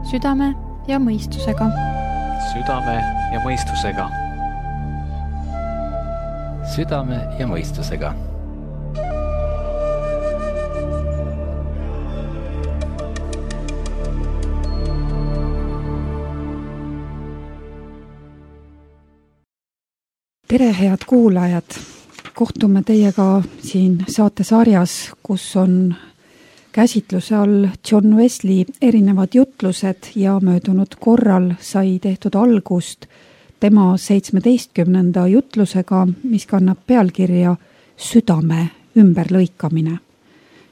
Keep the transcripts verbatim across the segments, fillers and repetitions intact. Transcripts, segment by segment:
Südame ja mõistusega. Südame ja mõistusega. Südame ja mõistusega. Tere, head kuulajad! Kohtume teiega siin saatesarjas, kus on käsitluse all John Wesley erinevad jutlused ja möödunud korral sai tehtud algust tema seitsmeteistkümnenda jutlusega, mis kannab pealkirja Südame ümberlõikamine.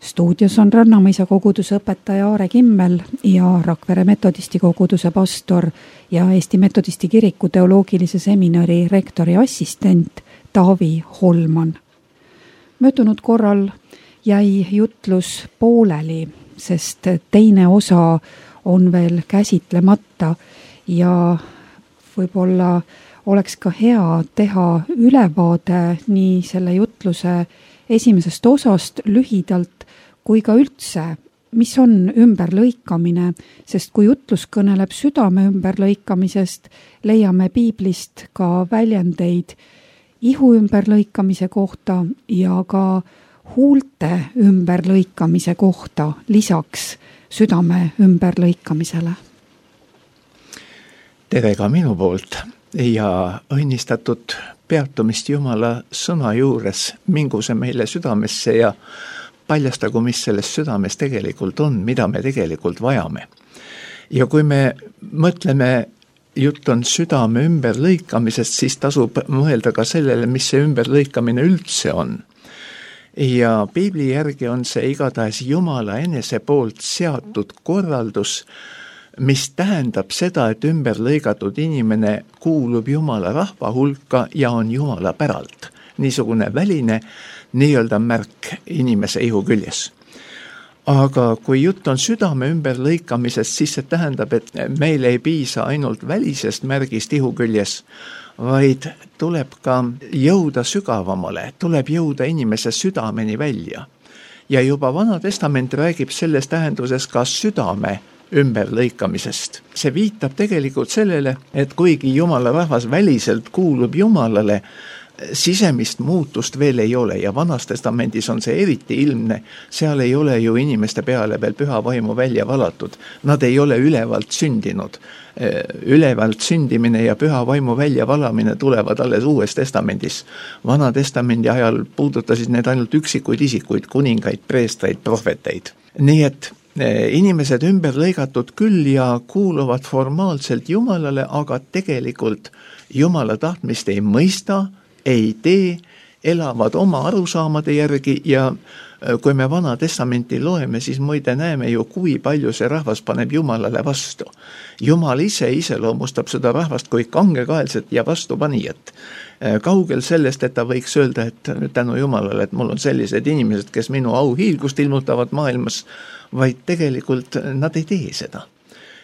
Stuudios on Rannamõisa koguduse õpetaja Aare Kimmel ja Rakvere metodisti koguduse pastor ja Eesti Metodisti kiriku teoloogilise seminari rektori assistent Taavi Holman. Möödunud korral jäi jutlus pooleli, sest teine osa on veel käsitlemata ja võib-olla oleks ka hea teha ülevaade nii selle jutluse esimesest osast lühidalt kui ka üldse, mis on ümberlõikamine, sest kui jutlus kõneleb südame ümberlõikamisest, leiame piiblist ka väljendeid ihu ümberlõikamise kohta ja ka huulte ümberlõikamise kohta lisaks südame ümberlõikamisele. Tere ka minu poolt ja õnnistatud peatumist Jumala sõna juures, mingu see meile südamesse ja paljastagu, mis selles südames tegelikult on, mida me tegelikult vajame. Ja kui me mõtleme, jutt on südame ümberlõikamisest, siis tasub mõelda ka sellele, mis see ümberlõikamine üldse on. Ja piibli järgi on see igatahes Jumala enese poolt seatud korraldus, mis tähendab seda, et ümberlõigatud inimene kuulub Jumala rahva hulka ja on Jumala päralt. Niisugune väline nii-öelda märk inimese ihu küljes. Aga kui jutt on südame ümberlõikamisest, siis see tähendab, et meil ei piisa ainult välisest märgist ihu küljes, vaid tuleb ka jõuda sügavamale, tuleb jõuda inimese südameni välja. Ja juba Vana Testament räägib selles tähenduses ka südame ümberlõikamisest. See viitab tegelikult sellele, et kuigi Jumala rahvas väliselt kuulub Jumalale, sisemist muutust veel ei ole ja Vanas Testamendis on see eriti ilmne, seal ei ole ju inimeste peale veel püha vaimu välja valatud. Nad ei ole ülevalt sündinud. Ülevalt sündimine ja püha vaimu välja valamine tulevad alles Uues Testamendis. Vana Testamendi ajal puudutasid need ainult üksikuid isikuid, kuningaid, preestreid, prohveteid. Nii et inimesed ümber lõigatud küll ja kuuluvad formaalselt Jumalale, aga tegelikult Jumala tahtmist ei mõista, ei tee, elavad oma arusaamade järgi ja kui me Vana Testamenti loeme, siis muide näeme ju, kui palju see rahvas paneb Jumalale vastu. Jumal ise iseloomustab seda rahvast kui kangekaelset ja vastupanijat. Kaugel sellest, et ta võiks öelda, et tänu Jumalale, et mul on sellised inimesed, kes minu auhiilgust ilmutavad maailmas, vaid tegelikult nad ei tee seda.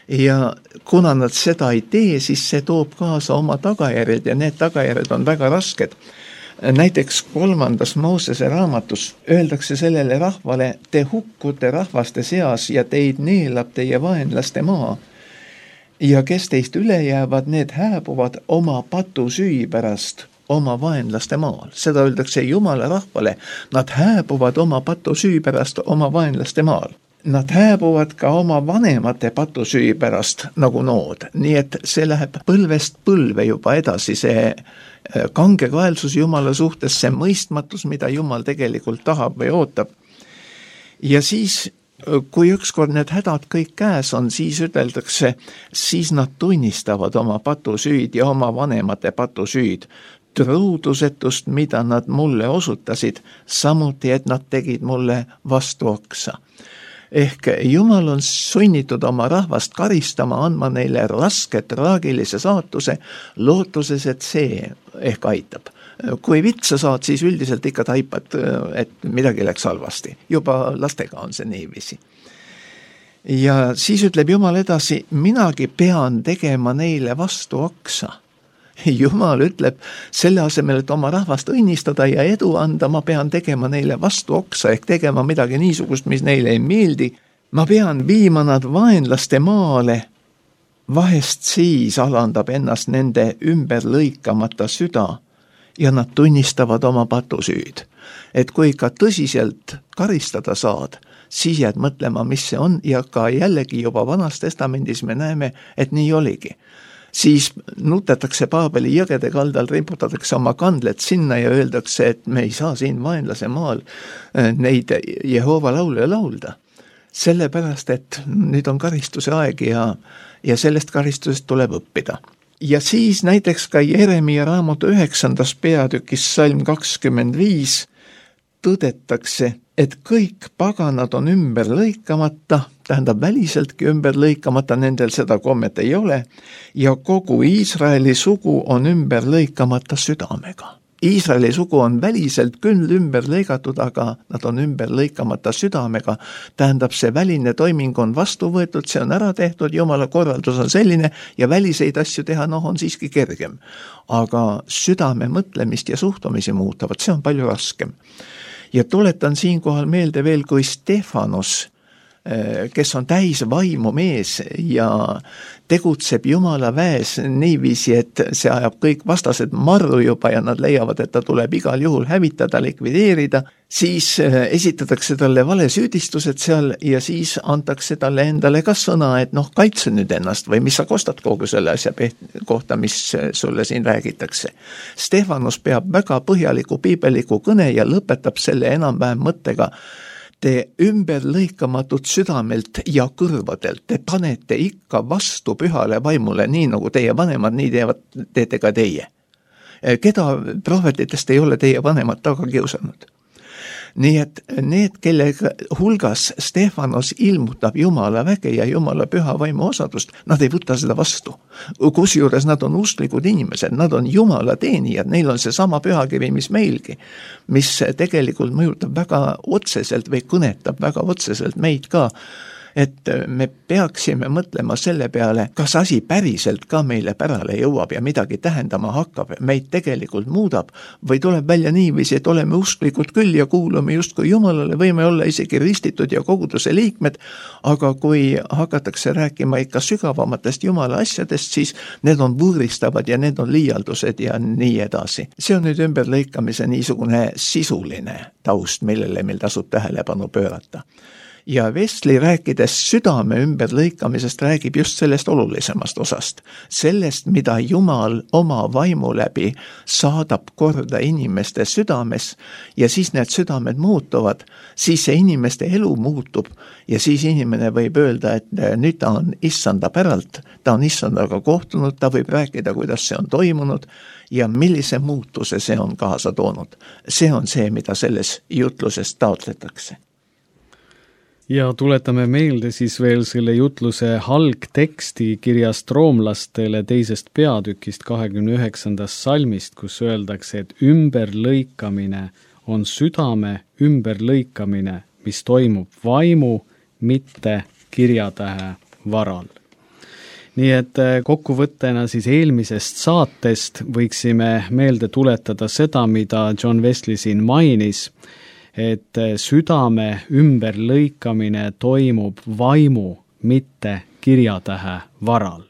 Ja kuna nad seda ei tee, siis see toob kaasa oma tagajärjed ja need tagajärjed on väga rasked. Näiteks kolmandas Moosese raamatus öeldakse sellele rahvale, te hukkute rahvaste seas ja teid neelab teie vaenlaste maa. Ja kes teist üle jäävad, need hääbuvad oma patusüü pärast oma vaenlaste maal. Seda öeldakse Jumala rahvale, nad hääbuvad oma patusüü pärast oma vaenlaste maal. Nad hääbuvad ka oma vanemate patusüü pärast nagu nood, nii et see läheb põlvest põlve juba edasi, see kangekaelsus Jumala suhtes, see mõistmatus, mida Jumal tegelikult tahab või ootab. Ja siis, kui ükskord need hädad kõik käes on, siis üteldakse, siis nad tunnistavad oma patusüüd ja oma vanemate patusüüd, truudusetust, mida nad mulle osutasid, samuti, et nad tegid mulle vastu oksa. Ehk Jumal on sunnitud oma rahvast karistama, andma neile raske, traagilise saatuse, lootuses, et see ehk aitab. Kui vitsa saad, siis üldiselt ikka taipad, et midagi läks halvasti. Juba lastega on see niiviisi. Ja siis ütleb Jumal edasi, minagi pean tegema neile vastu oksa. Jumal ütleb, selle asemel, et oma rahvast õnnistada ja edu anda, ma pean tegema neile vastu oksa ehk tegema midagi niisugust, mis neile ei meeldi. Ma pean viima nad vaenlaste maale vahest siis alandab ennast nende ümber lõikamata süda ja nad tunnistavad oma patusüüd. Et kui ikka tõsiselt karistada saad, siis jääd mõtlema, mis see on, ja ka jällegi juba Vanas Testamendis me näeme, et nii oligi. Siis nutetakse Paabeli jõgede kaldal, riputatakse oma kandled sinna ja öeldakse, et me ei saa siin vaenlase maal neid Jehova laule laulda. Sellepärast, et nüüd on karistuse aeg ja, ja sellest karistusest tuleb õppida. Ja siis näiteks ka Jeremia raamatu üheksandas peatükis salm kakskümmend viis tõdetakse, et kõik paganad on ümber lõikamata, tähendab väliseltki ümber lõikamata, nendel seda kommet ei ole, ja kogu Iisraeli sugu on ümber lõikamata südamega. Iisraeli sugu on väliselt küll ümber lõigatud, aga nad on ümber lõikamata südamega. Tähendab, see väline toiming on vastu võetud, see on ära tehtud, Jumala korraldus on selline ja väliseid asju teha, noh, on siiski kergem. Aga südame mõtlemist ja suhtumisi muutavad, see on palju raskem. Ja tuletan siinkohal meelde veel, kui Stefanos, kes on täis vaimu mees ja tegutseb Jumala väes niiviisi, et see ajab kõik vastased marru juba ja nad leiavad, et ta tuleb igal juhul hävitada, likvideerida, siis esitatakse talle vale süüdistused seal ja siis antakse talle endale ka sõna, et noh, kaitse nüüd ennast või mis sa kostad kogu selle asja kohta, mis sulle siin räägitakse. Stefanos peab väga põhjaliku piibeliku kõne ja lõpetab selle enam-vähem mõttega: te ümber lõikamatut südamelt ja kõrvadelt, te panete ikka vastu pühale vaimule, nii nagu teie vanemad, nii teevad, teete ka teie. Keda prohvetitest ei ole teie vanemad taga kiusanud? Nii et need, kelle hulgas Stefanos ilmutab Jumala väge ja Jumala püha vaimu osadust, nad ei võta seda vastu. Kusjuures nad on usklikud inimesed, nad on Jumala teenijad, neil on see sama pühakivi, mis meilgi, mis tegelikult mõjutab väga otseselt või kõnetab väga otseselt meid ka, et me peaksime mõtlema selle peale, kas asi päriselt ka meile pärale jõuab ja midagi tähendama hakkab, meid tegelikult muudab, või tuleb välja niiviisi, et oleme usklikud küll ja kuulume justkui Jumalale, võime olla isegi ristitud ja koguduse liikmed, aga kui hakatakse rääkima ikka sügavamatest Jumala asjadest, siis need on võõristavad ja need on liialdused ja nii edasi. See on nüüd ümberlõikamise niisugune sisuline taust, millele meil tasub tähelepanu pöörata. Ja Wesley rääkides südame ümberlõikamisest räägib just sellest olulisemast osast. Sellest, mida Jumal oma vaimu läbi saadab korda inimeste südames ja siis need südamed muutuvad, siis see inimeste elu muutub ja siis inimene võib öelda, et nüüd ta on issanda päralt, ta on issandaga kohtunud, ta võib rääkida, kuidas see on toimunud ja millise muutuse see on kaasa toonud. See on see, mida selles jutluses taotletakse. Ja tuletame meelde siis veel selle jutluse algteksti kirjast roomlastele teisest peatükist kahekümne üheksandast salmist, kus öeldakse, et ümberlõikamine on südame ümberlõikamine, mis toimub vaimu, mitte kirjatähe varal. Nii et kokkuvõttena siis eelmisest saatest võiksime meelde tuletada seda, mida John Wesley siin mainis, et südame ümberlõikamine toimub vaimu, mitte kirjatähe varal.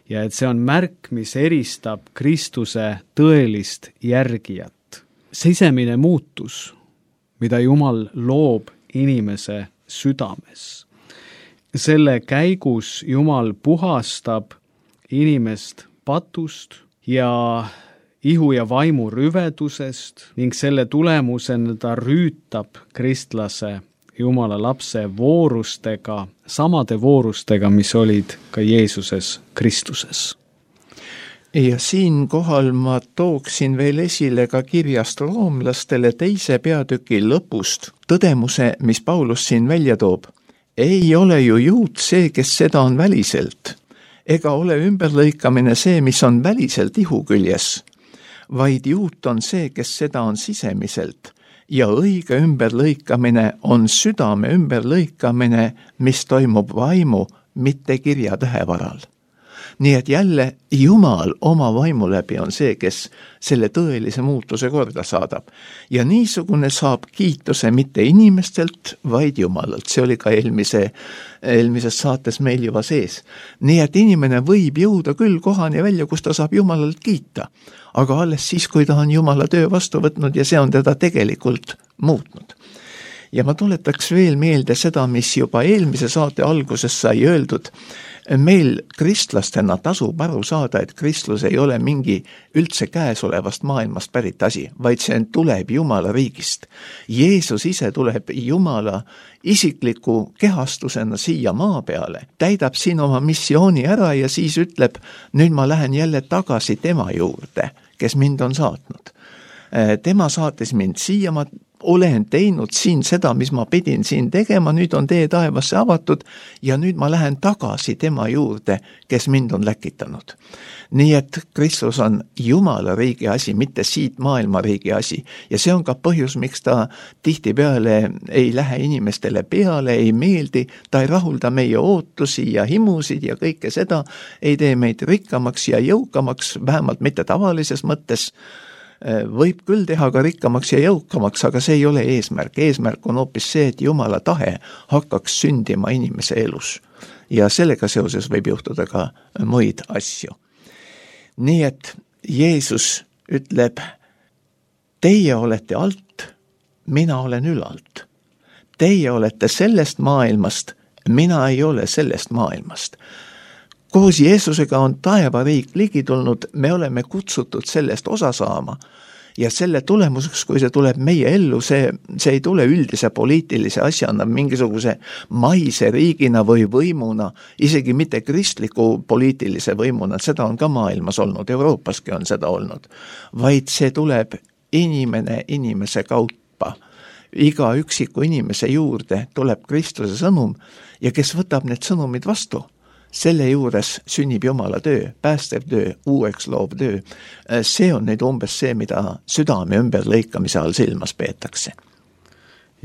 Ja et see on märk, mis eristab Kristuse tõelist järgijat. Sisemine muutus, mida Jumal loob inimese südames. Selle käigus Jumal puhastab inimest patust ja ihu ja vaimu rüvedusest ning selle tulemusena ta rüütab kristlase Jumala lapse voorustega, samade voorustega, mis olid ka Jeesuses Kristuses. Ja siinkohal ma tooksin veel esile ka kirjast roomlastele teise peatüki lõpust tõdemuse, mis Paulus siin välja toob. Ei ole ju juut see, kes seda on väliselt, ega ole ümberlõikamine see, mis on väliselt ihu küljes, vaid juut on see, kes seda on sisemiselt ja õige ümberlõikamine on südame ümberlõikamine, mis toimub vaimu, mitte kirjatähe varal. nii et jälle Jumal oma vaimu läbi on see, kes selle tõelise muutuse korda saadab. Ja niisugune saab kiituse mitte inimestelt, vaid Jumalalt. See oli ka eelmise, eelmises saates meil juba sees. Nii et inimene võib jõuda küll kohani välja, kus ta saab Jumalalt kiita, aga alles siis, kui ta on Jumala töö vastu võtnud ja see on teda tegelikult muutnud. Ja ma tuletaks veel meelde seda, mis juba eelmise saate alguses sai öeldud. Meil kristlastena tasub aru saada, et kristlus ei ole mingi üldse käesolevast maailmast pärit asi, vaid see tuleb Jumala riigist. Jeesus ise tuleb Jumala isikliku kehastusena siia maa peale, täidab siin oma missiooni ära ja siis ütleb, nüüd ma lähen jälle tagasi tema juurde, kes mind on saatnud. Tema saatis mind siia, ma olen teinud siin seda, mis ma pidin siin tegema, nüüd on tee taevasse avatud ja nüüd ma lähen tagasi tema juurde, kes mind on läkitanud. Nii et Kristus on Jumala riigi asi, mitte siit maailma riigi asi. Ja see on ka põhjus, miks ta tihtipeale ei lähe inimestele peale, ei meeldi, ta ei rahulda meie ootusi ja himusid ja kõike seda, ei tee meid rikkamaks ja jõukamaks, vähemalt mitte tavalises mõttes. Võib küll teha ka rikkamaks ja jõukamaks, aga see ei ole eesmärk. Eesmärk on hoopis see, et Jumala tahe hakkaks sündima inimese elus. Ja sellega seoses võib juhtuda ka muid asju. Nii et Jeesus ütleb, teie olete alt, mina olen ülalt. Teie olete sellest maailmast, mina ei ole sellest maailmast. Koos Jeesusega on taevariik ligi tulnud, me oleme kutsutud sellest osa saama ja selle tulemuseks, kui see tuleb meie ellu, see, see ei tule üldise poliitilise asjana, mingisuguse maise riigina või võimuna, isegi mitte kristliku poliitilise võimuna, seda on ka maailmas olnud, Euroopaski on seda olnud, vaid see tuleb inimene inimese kaupa. Iga üksiku inimese juurde tuleb Kristuse sõnum ja kes võtab need sõnumid vastu, selle juures sünnib Jumala töö, päästev töö, uueks loov töö. See on nüüd umbes see, mida südame ümber lõikamise all silmas peetakse.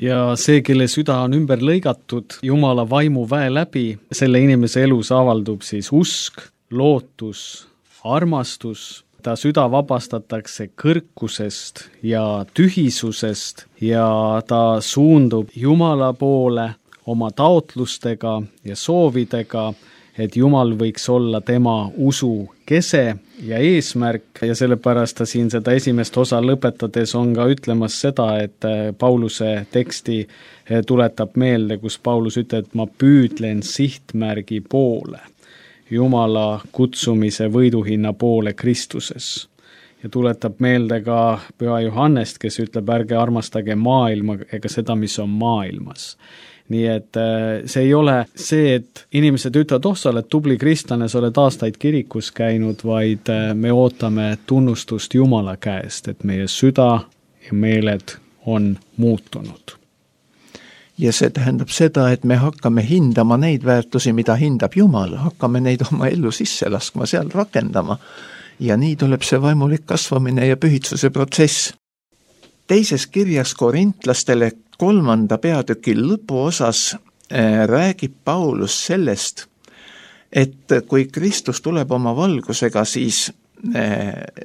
Ja see, kelle süda on ümber lõigatud Jumala vaimu väe läbi, selle inimese elus avaldub siis usk, lootus, armastus, ta süda vabastatakse kõrkusest ja tühisusest ja ta suundub Jumala poole oma taotlustega ja soovidega, et Jumal võiks olla tema usu kese ja eesmärk ja sellepärast ta siin seda esimest osa lõpetades on ka ütlemas seda, et Pauluse teksti tuletab meelde, kus Paulus ütleb, et ma püüdlen sihtmärgi poole, Jumala kutsumise võiduhinna poole Kristuses. Ja tuletab meelde ka Püha Johannest, kes ütleb, ärge armastage maailma ega seda, mis on maailmas. Nii et see ei ole see, et inimesed ütlevad, oh, sa oled tubli kristlane, sa oled aastaid kirikus käinud, vaid me ootame tunnustust Jumala käest, et meie süda ja meeled on muutunud. Ja see tähendab seda, et me hakkame hindama neid väärtusi, mida hindab Jumal, hakkame neid oma ellu sisse laskma, seal rakendama ja nii tuleb see vaimulik kasvamine ja pühitsuse protsess. Teises kirjas korintlastele kolmanda peatüki lõpuosas räägib Paulus sellest, et kui Kristus tuleb oma valgusega, siis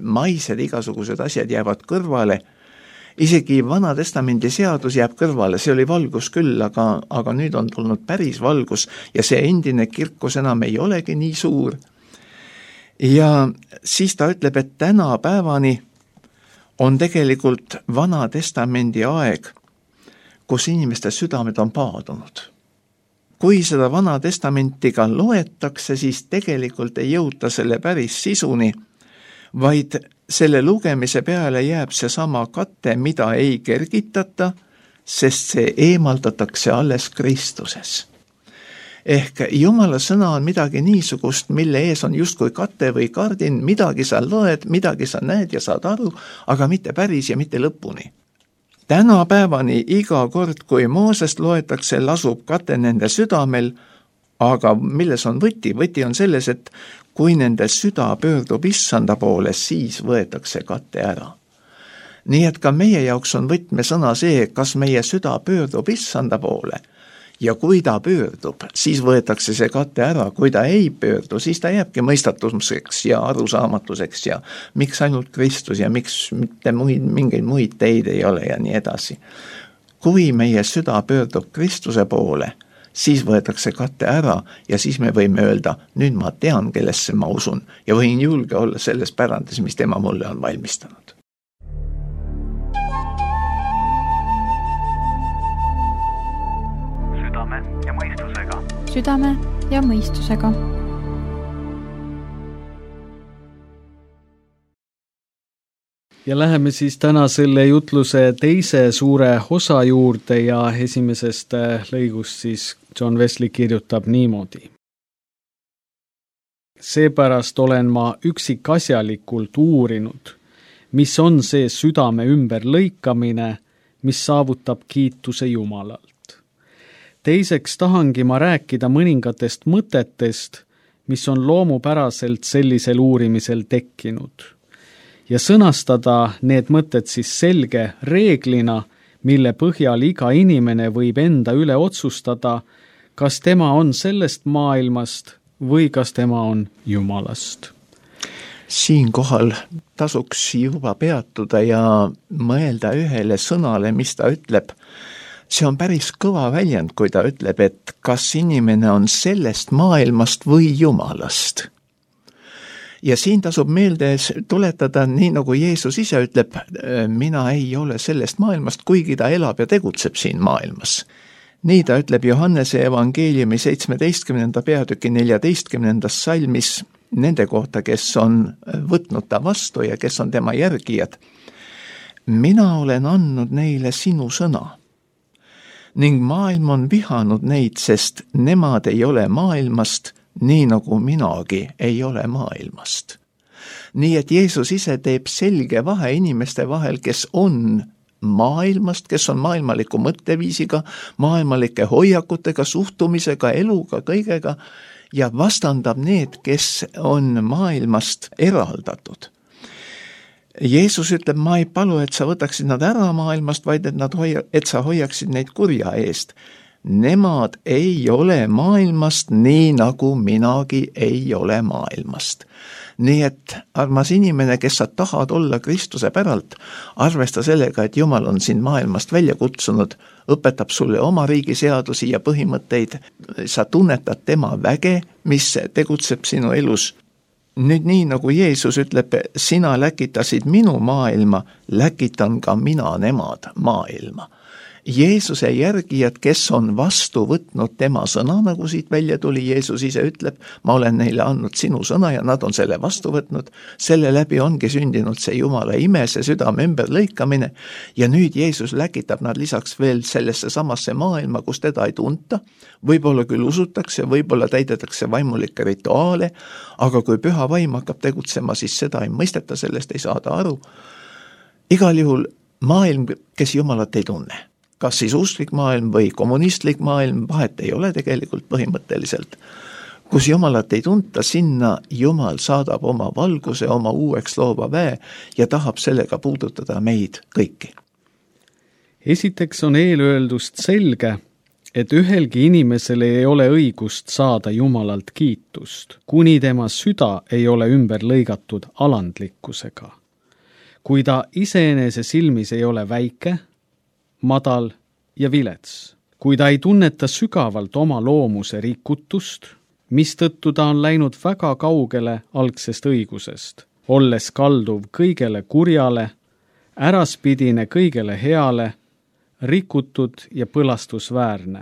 maised igasugused asjad jäävad kõrvale. Isegi Vana Testamendi seadus jääb kõrvale, see oli valgus küll, aga, aga nüüd on tulnud päris valgus ja see endine kirkus enam ei olegi nii suur. Ja siis ta ütleb, et täna päevani on tegelikult Vana Testamendi aeg, kus inimeste südamed on paadunud. Kui seda Vana Testamentiga loetakse, siis tegelikult ei jõuta selle päris sisuni, vaid selle lugemise peale jääb see sama katte, mida ei kergitata, sest see eemaldatakse alles Kristuses. Ehk Jumala sõna on midagi niisugust, mille ees on justkui kate või kardin, midagi sa loed, midagi sa näed ja saad aru, aga mitte päris ja mitte lõpuni. Täna päevani iga kord, kui Moosest loetakse, lasub kate nende südamel, aga milles on võti? Võti on selles, et kui nende süda pöördub issanda poole, siis võetakse kate ära. Nii et ka meie jaoks on võtmesõna see, kas meie süda pöördub issanda poole ja kui ta pöördub, siis võetakse see kate ära, kui ta ei pöördu, siis ta jääbki mõistatuseks ja arusaamatuseks ja miks ainult Kristus ja miks mitte muid, mingeid muid teid ei ole ja nii edasi. Kui meie süda pöördub Kristuse poole, siis võetakse kate ära ja siis me võime öelda, nüüd ma tean, kellesse ma usun ja võin julge olla selles pärandis, mis tema mulle on valmistanud. Südame ja mõistusega. Südame ja mõistusega. Ja läheme siis täna selle jutluse teise suure osa juurde ja esimesest lõigust siis John Wesley kirjutab niimoodi. Seepärast olen ma üksikasjalikult uurinud, mis on see südame ümber lõikamine, mis saavutab kiituse Jumalalt. Teiseks tahangi ma rääkida mõningatest mõtetest, mis on loomupäraselt sellisel uurimisel tekkinud. Ja sõnastada need mõtted siis selge reeglina, mille põhjal iga inimene võib enda üle otsustada, kas tema on sellest maailmast või kas tema on Jumalast. Siinkohal tasuks juba peatuda ja mõelda ühele sõnale, mis ta ütleb. See on päris kõva väljend, kui ta ütleb, et kas inimene on sellest maailmast või Jumalast. Ja siin tasub meelde tuletada, nii nagu Jeesus ise ütleb, mina ei ole sellest maailmast, kuigi ta elab ja tegutseb siin maailmas. Nii ta ütleb Johannese evangeeliumi seitsmeteistkümnenda peatüki neljateistkümnendas salmis nende kohta, kes on võtnud ta vastu ja kes on tema järgijad. Mina olen andnud neile sinu sõna ning maailm on vihanud neid, sest nemad ei ole maailmast, nii nagu minagi ei ole maailmast. Nii et Jeesus ise teeb selge vahe inimeste vahel, kes on maailmast, kes on maailmaliku mõtteviisiga, maailmalike hoiakutega, suhtumisega, eluga, kõigega ja vastandab need, kes on maailmast eraldatud. Jeesus ütleb, ma ei palu, et sa võtaksid nad ära maailmast, vaid et, nad hoia, et sa hoiaksid neid kurja eest. Nemad ei ole maailmast, nii nagu minagi ei ole maailmast. Nii et, armas inimene, kes sa tahad olla Kristuse päralt, arvesta sellega, et Jumal on sind maailmast välja kutsunud, õpetab sulle oma riigi seadusi ja põhimõtteid, sa tunnetad tema väge, mis tegutseb sinu elus. Nüüd nii, nagu Jeesus ütleb, sina läkitasid minu maailma, läkitan ka mina nemad maailma. Jeesuse järgijad, kes on vastu võtnud tema sõna, nagu siit välja tuli, Jeesus ise ütleb, ma olen neile andnud sinu sõna ja nad on selle vastu võtnud, selle läbi ongi sündinud see Jumala ime, see südame ümber lõikamine ja nüüd Jeesus läkitab nad lisaks veel sellesse samasse maailma, kus teda ei tunta, võib-olla küll usutakse, võib-olla täidetakse vaimulikke rituaale, aga kui püha vaim hakkab tegutsema, siis seda ei mõisteta, sellest ei saada aru. Igal juhul maailm, kes Jumalat ei tunne. Kas siis usklik maailm või kommunistlik maailm, vahet ei ole tegelikult põhimõtteliselt. Kus Jumalat ei tunta, sinna Jumal saadab oma valguse, oma uueks loova väe ja tahab sellega puudutada meid kõiki. Esiteks on eelöeldust selge, et ühelgi inimesel ei ole õigust saada Jumalalt kiitust, kuni tema süda ei ole ümber lõigatud alandlikkusega. Kui ta iseenese silmis ei ole väike, madal ja vilets. Kui ta ei tunneta sügavalt oma loomuse rikutust, mistõttu ta on läinud väga kaugele algsest õigusest, olles kalduv kõigele kurjale, äraspidine kõigele heale, rikutud ja põlastusväärne.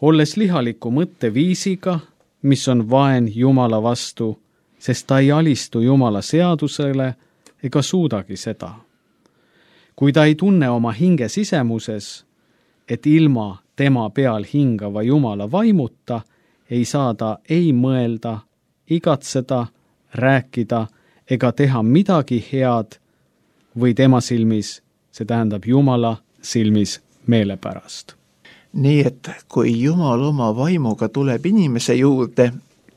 Olles lihaliku mõtteviisiga, mis on vaen Jumala vastu, sest ta ei alistu Jumala seadusele ega suudagi seda. Kui ta ei tunne oma hinge sisemuses, et ilma tema peal hingava Jumala vaimuta ei saa ta ei mõelda, igatseda, rääkida ega teha midagi head või tema silmis, see tähendab Jumala silmis meelepärast. Nii et kui Jumal oma vaimuga tuleb inimese juurde,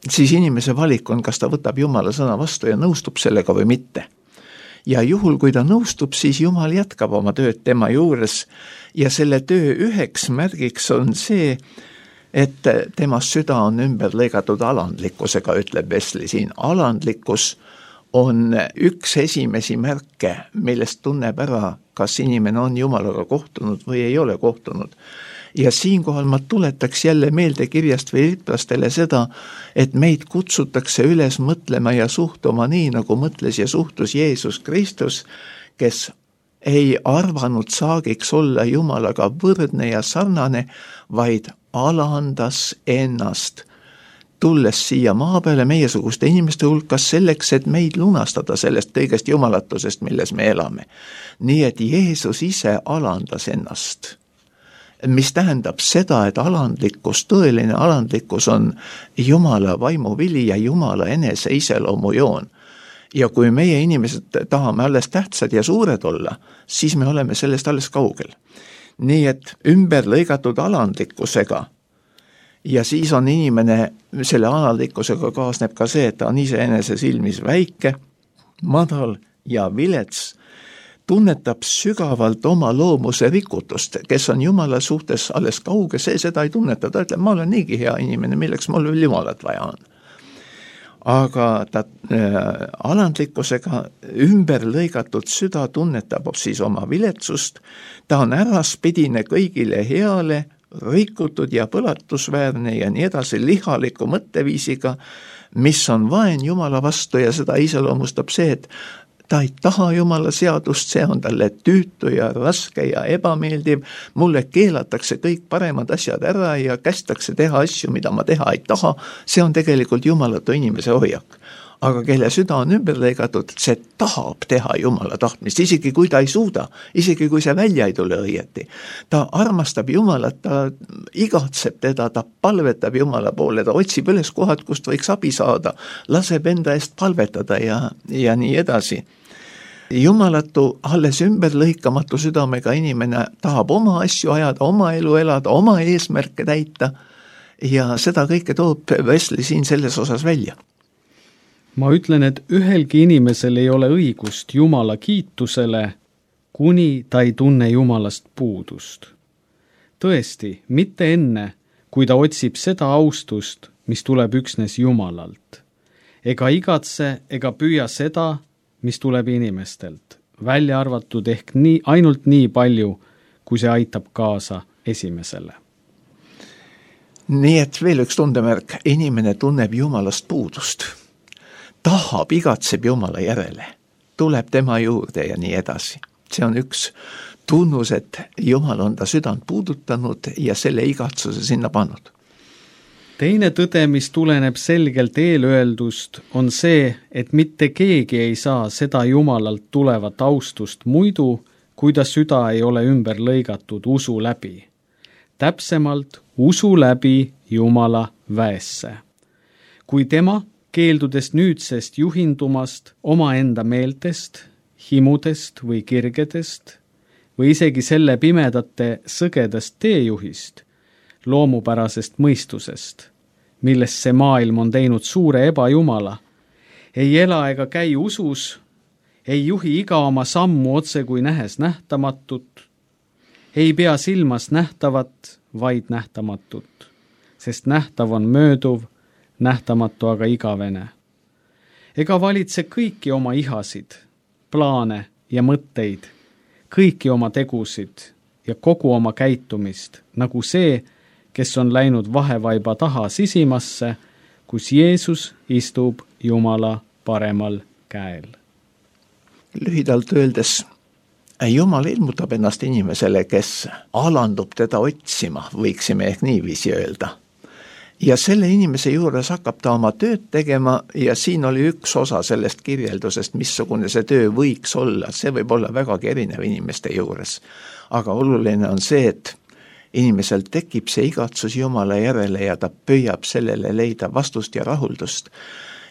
siis inimese valik on, kas ta võtab Jumala sõna vastu ja nõustub sellega või mitte. ja juhul, kui ta nõustub, siis Jumal jätkab oma tööd tema juures ja selle töö üheks märgiks on see, et tema süda on ümber lõigatud alandlikkusega, ütleb Wesley siin. Alandlikkus on üks esimesi märke, millest tunneb ära, kas inimene on Jumalaga kohtunud või ei ole kohtunud. Ja siinkohal ma tuletaks jälle meelde kirjast filiplastele seda, et meid kutsutakse üles mõtlema ja suhtuma nii, nagu mõtles ja suhtus Jeesus Kristus, kes ei arvanud saagiks olla Jumalaga võrdne ja sarnane, vaid alandas ennast, tulles siia maa peale meiesuguste inimeste hulkas selleks, et meid lunastada sellest kõigest jumalatusest, milles me elame. Nii et Jeesus ise alandas ennast, mis tähendab seda, et alandlikkus, tõeline alandlikkus on Jumala vaimuvili ja Jumala enese iseloomujoon. Ja kui meie inimesed tahame alles tähtsad ja suured olla, siis me oleme sellest alles kaugel. Nii et ümber lõigatud alandlikkusega ja siis on inimene, selle alandlikkusega kaasneb ka see, et ta on iseenese silmis väike, madal ja vilets, tunnetab sügavalt oma loomuse rikutust, kes on Jumala suhtes alles kauge, see seda ei tunneta, ta ütleb, ma olen niigi hea inimene, milleks mul veel Jumalat vaja on. Aga ta äh, alandlikkusega ümber lõigatud süda tunnetab siis oma viletsust, ta on äraspidine kõigile heale, rikutud ja põlatusväärne ja nii edasi lihaliku mõtteviisiga, mis on vaen Jumala vastu ja seda iseloomustab see, et ta ei taha Jumala seadust, see on talle tüütu ja raske ja ebameeldiv, mulle keelatakse kõik paremad asjad ära ja kästakse teha asju, mida ma teha ei taha, see on tegelikult jumalatu inimese hoiak. Aga kelle süda on ümber lõigatud, see tahab teha Jumala tahtmist, isegi kui ta ei suuda, isegi kui see välja ei tule õieti. Ta armastab Jumalat, ta igatseb teda, ta palvetab Jumala poole, ta otsib üles kohad, kust võiks abi saada, laseb enda eest palvetada ja, ja nii edasi. Jumalatu, alles ümber lõikamatu südamega inimene tahab oma asju ajada, oma elu elada, oma eesmärke täita ja seda kõike toob Wesley siin selles osas välja. Ma ütlen, et ühelgi inimesel ei ole õigust Jumala kiitusele, kuni ta ei tunne Jumalast puudust. Tõesti, mitte enne, kui ta otsib seda austust, mis tuleb üksnes Jumalalt. Ega igatse ega püüa seda, mis tuleb inimestelt, välja arvatud ehk nii, ainult nii palju, kui see aitab kaasa esimesele. Nii et veel üks tundemärk, inimene tunneb Jumalast puudust. Tahab, igatseb Jumala järele, tuleb tema juurde ja nii edasi. See on üks tunnus, et Jumal on ta südant puudutanud ja selle igatsuse sinna pannud. Teine tõde, mis tuleneb selgelt eelöeldust, on see, et mitte keegi ei saa seda Jumalalt tulevat austust muidu, kui ta süda ei ole ümber lõigatud usu läbi. Täpsemalt usu läbi Jumala väesse. Kui tema keeldudes nüüdsest juhindumast omaenda meeltest, himudest või kirgedest või isegi selle pimedate sõgedast teejuhist, loomupärasest mõistusest, millest see maailm on teinud suure ebajumala, ei ela ega käi usus, ei juhi iga oma sammu otse kui nähes nähtamatut, ei pea silmas nähtavat, vaid nähtamatut, sest nähtav on mööduv, nähtamatu aga igavene. Ega valitse kõiki oma ihasid, plaane ja mõtteid, kõiki oma tegusid ja kogu oma käitumist, nagu see, kes on läinud vahevaiba taha sisimasse, kus Jeesus istub Jumala paremal käel. Lühidalt öeldes, Jumal ilmutab ennast inimesele, kes alandub teda otsima, võiksime ehk niiviisi öelda. Ja selle inimese juures hakkab ta oma tööd tegema ja siin oli üks osa sellest kirjeldusest, missugune see töö võiks olla. See võib olla vägagi erinev inimeste juures. Aga oluline on see, et inimesel tekib see igatsus Jumala järele ja ta püüab sellele leida vastust ja rahuldust.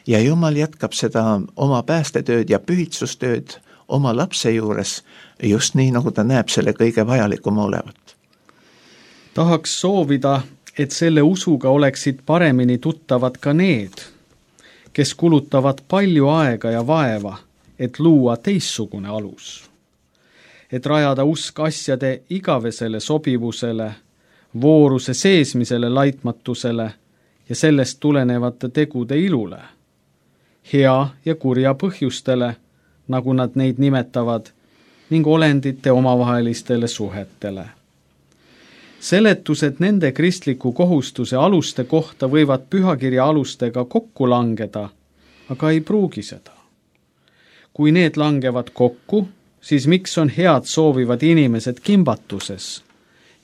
Ja Jumal jätkab seda oma päästetööd ja pühitsustööd oma lapse juures just nii, nagu ta näeb selle kõige vajalikuma olevat. Tahaks soovida, et selle usuga oleksid paremini tuttavad ka need, kes kulutavad palju aega ja vaeva, et luua teistsugune alus. Et rajada usk asjade igavesele sobivusele, vooruse seesmisele laitmatusele ja sellest tulenevate tegude ilule, hea ja kurja põhjustele, nagu nad neid nimetavad, ning olendite omavahelistele suhetele. Seletused nende kristliku kohustuse aluste kohta võivad pühakirja alustega kokku langeda, aga ei pruugi seda. Kui need langevad kokku, siis miks on head soovivad inimesed kimbatuses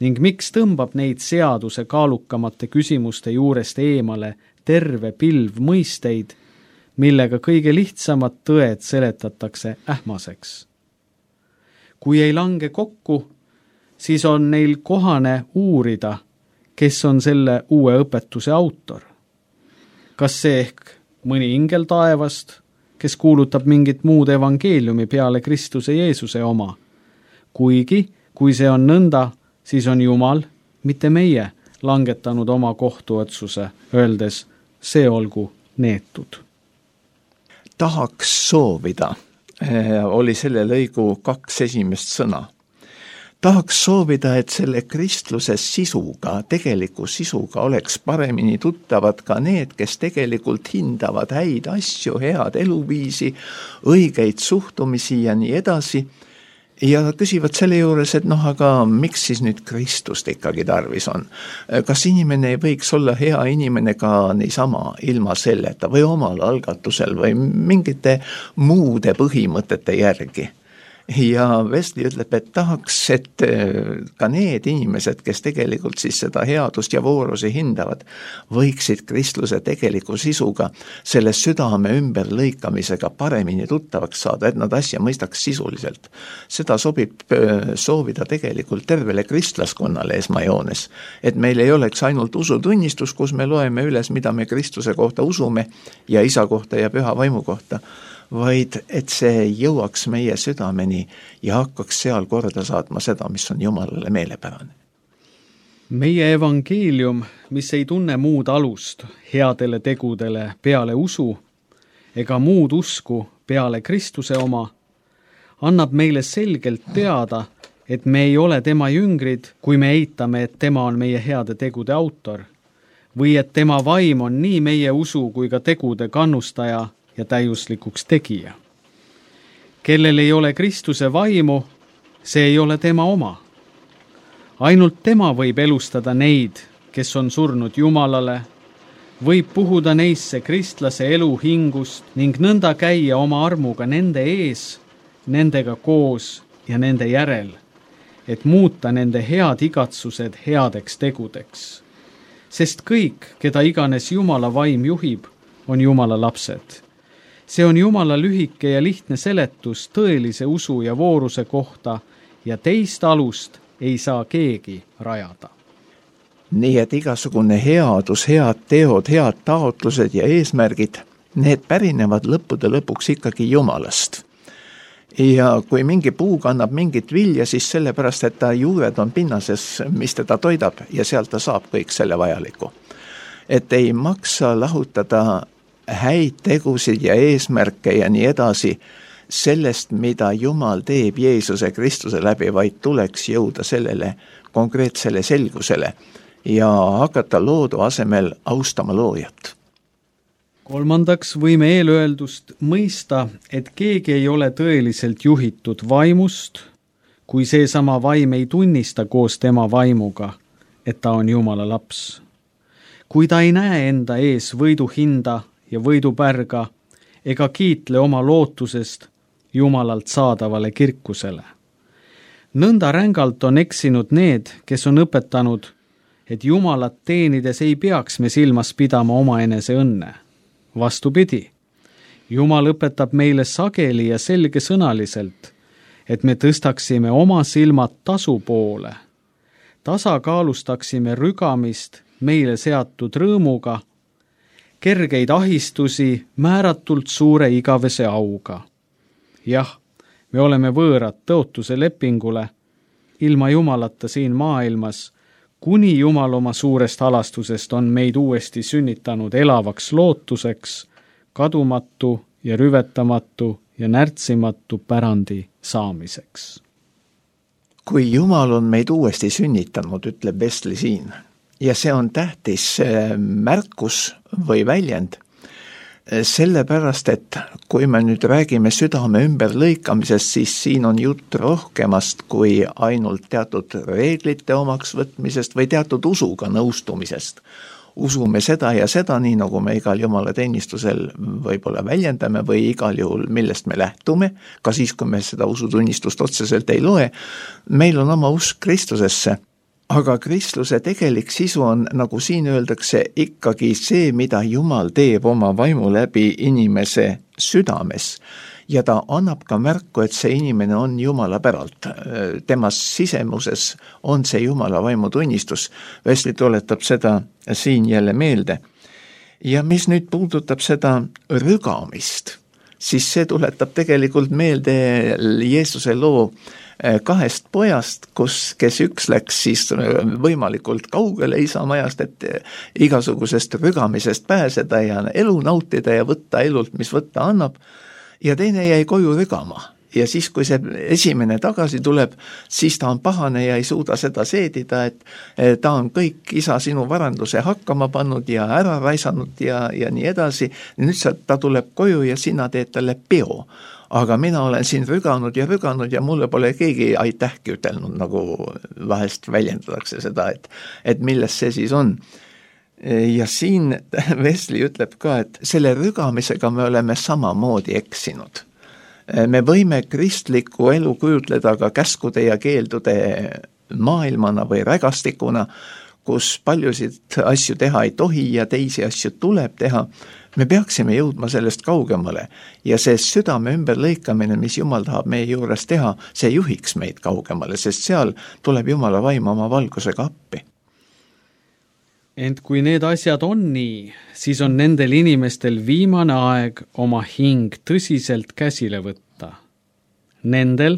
ning miks tõmbab neid seaduse kaalukamate küsimuste juurest eemale terve pilv mõisteid, millega kõige lihtsamad tõed seletatakse ähmaseks. Kui ei lange kokku, siis on neil kohane uurida, kes on selle uue õpetuse autor. Kas see ehk mõni ingel taevast, kes kuulutab mingit muud evangeeliumi peale Kristuse Jeesuse oma? Kuigi, kui see on nõnda, siis on Jumal, mitte meie, langetanud oma kohtuotsuse, öeldes, see olgu neetud. Tahaks soovida, oli selle lõigu kaks esimest sõna. Tahaks soovida, et selle kristluse sisuga, tegeliku sisuga oleks paremini tuttavad ka need, kes tegelikult hindavad häid asju, head eluviisi, õigeid suhtumisi ja nii edasi. Ja küsivad selle juures, et noh, aga miks siis nüüd Kristust ikkagi tarvis on? Kas inimene ei võiks olla hea inimene ka niisama ilma selleta või omal algatusel või mingite muude põhimõtete järgi? Ja Wesley ütleb, et tahaks, et ka need inimesed, kes tegelikult siis seda headust ja voorusi hindavad, võiksid kristluse tegeliku sisuga selle südame ümber lõikamisega paremini tuttavaks saada, et nad asja mõistaks sisuliselt. Seda sobib soovida tegelikult tervele kristlaskonnale esmajoones, et meil ei oleks ainult usutunnistus, kus me loeme üles, mida me Kristuse kohta usume ja isa kohta ja püha vaimu kohta, vaid et see jõuaks meie südameni ja hakkaks seal korda saatma seda, mis on Jumalale meelepärane. Meie evangeelium, mis ei tunne muud alust headele tegudele peale usu ega muud usku peale Kristuse oma, annab meile selgelt teada, et me ei ole tema jüngrid, kui me eitame, et tema on meie heade tegude autor, või et tema vaim on nii meie usu kui ka tegude kannustaja ja täiuslikuks tegija. Kellel ei ole Kristuse vaimu, see ei ole tema oma. Ainult tema võib elustada neid, kes on surnud Jumalale, võib puhuda neisse kristlase elu hingust ning nõnda käia oma armuga nende ees, nendega koos ja nende järel, et muuta nende head igatsused headeks tegudeks. Sest kõik, keda iganes Jumala vaim juhib, on Jumala lapsed. See on Jumala lühike ja lihtne seletus tõelise usu ja vooruse kohta ja teist alust ei saa keegi rajada. Nii et igasugune headus, head teod, head taotlused ja eesmärgid, need pärinevad lõppude lõpuks ikkagi Jumalast. Ja kui mingi puu kannab mingit vilja, siis sellepärast, et ta juured on pinnases, mis teda toidab ja sealt ta saab kõik selle vajaliku. Et ei maksa lahutada häid tegusid ja eesmärke ja nii edasi sellest, mida Jumal teeb Jeesuse Kristuse läbi, vaid tuleks jõuda sellele konkreetsele selgusele ja hakata loodu asemel austama loojat. Kolmandaks võime eelöeldust mõista, et keegi ei ole tõeliselt juhitud vaimust, kui seesama vaim ei tunnista koos tema vaimuga, et ta on Jumala laps. Kui ta ei näe enda ees võiduhinda ja võidupärga ega kiitle oma lootusest Jumalalt saadavale kirkusele. Nõnda rängalt on eksinud need, kes on õpetanud, et Jumalat teenides ei peaks me silmas pidama omaenese õnne. Vastupidi, Jumal õpetab meile sageli ja selgesõnaliselt, et me tõstaksime oma silmad tasu poole, tasakaalustaksime rügamist meile seatud rõõmuga, kergeid ahistusi määratult suure igavese auga. Jah, me oleme võõrad tõotuse lepingule, ilma Jumalata siin maailmas, kuni Jumal oma suurest halastusest on meid uuesti sünnitanud elavaks lootuseks, kadumatu ja rüvetamatu ja närtsimatu pärandi saamiseks. Kui Jumal on meid uuesti sünnitanud, ütleb Wesley siin, ja see on tähtis märkus või väljend, sellepärast, et kui me nüüd räägime südame ümberlõikamisest, siis siin on jutt rohkemast kui ainult teatud reeglite omaks võtmisest või teatud usuga nõustumisest. Usume seda ja seda, nii nagu me igal Jumala teenistusel võib-olla väljendame või igal juhul, millest me lähtume, ka siis, kui me seda usutunnistust otseselt ei loe, meil on oma usk Kristusesse. Aga kristluse tegelik sisu on, nagu siin öeldakse, ikkagi see, mida Jumal teeb oma vaimu läbi inimese südames. Ja ta annab ka märku, et see inimene on Jumala päralt. Temas sisemuses on see Jumala vaimu tunnistus. Wesley tuletab seda siin jälle meelde. Ja mis nüüd puudutab seda rügamist, siis see tuletab tegelikult meelde Jeesuse loo kahest pojast, kus, kes üks läks siis võimalikult kaugele isamajast, et igasugusest rügamisest pääseda ja elu nautida ja võtta elult, mis võtta annab, ja teine jäi koju rügama. Ja siis, kui see esimene tagasi tuleb, siis ta on pahane ja ei suuda seda seedida, et ta on kõik isa sinu varanduse hakkama pannud ja ära raisanud ja, ja nii edasi. Nüüd ta tuleb koju ja sina teed talle peo. Aga mina olen siin rüganud ja rüganud ja mulle pole keegi aitähki ütelnud, nagu vahest väljendatakse seda, et, et milles see siis on. Ja siin Wesley ütleb ka, et selle rügamisega me oleme samamoodi eksinud. Me võime kristlikku elu kujutleda ka käskude ja keeldude maailmana või rägastikuna, kus paljusid asju teha ei tohi ja teisi asju tuleb teha. Me peaksime jõudma sellest kaugemale ja see südame ümberlõikamine, mis Jumal tahab meie juures teha, see juhiks meid kaugemale, sest seal tuleb Jumala vaim oma valgusega appi. Ent kui need asjad on nii, siis on nendel inimestel viimane aeg oma hing tõsiselt käsile võtta. Nendel,